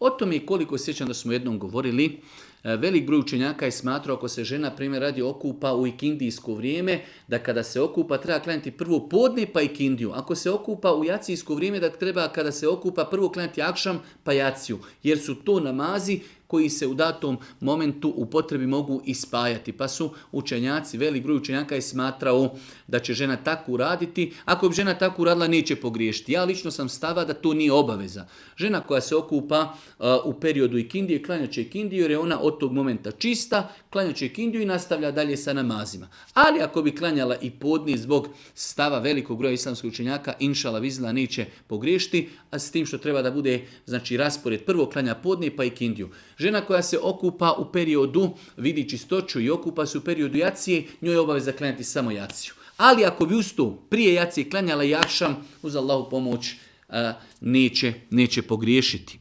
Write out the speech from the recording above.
O tome koliko sjećam da smo jednom govorili, velik broj učenjaka je smatrao ako se žena primjer radi okupa u ikindijsko vrijeme, da kada se okupa treba klanjati prvo podne pa ikindiju. Ako se okupa u jacijsko vrijeme da treba kada se okupa prvo klanjati akšam pa jaciju. Jer su to namazi koji se u datom momentu u potrebi mogu ispajati. Pa su učenjaci, velik broj učenjaka je smatrao da će žena tako uraditi. Ako bi žena tako uradila neće pogriješiti. Ja lično sam stava da to nije obaveza. Žena koja se okupa u periodu ikindije, klanjat će ikindiju jer je ona od tog momenta čista, klanjat će ikindiju i nastavlja dalje sa namazima. Ali ako bi klanjala i podne zbog stava velikog broja islamskih učenjaka, inšala vizla neće pogriješiti, a s tim što treba da bude znači raspored prvo klanja podne pa ikindiju. Žena koja se okupa u periodu, vidi čistoću i okupa se u periodu jacije, njoj je obaveza klanjati samo jaciju. Ali ako bi uz to prije jacije klanjala jakšam, uz Allahu pomoć neće pogriješiti.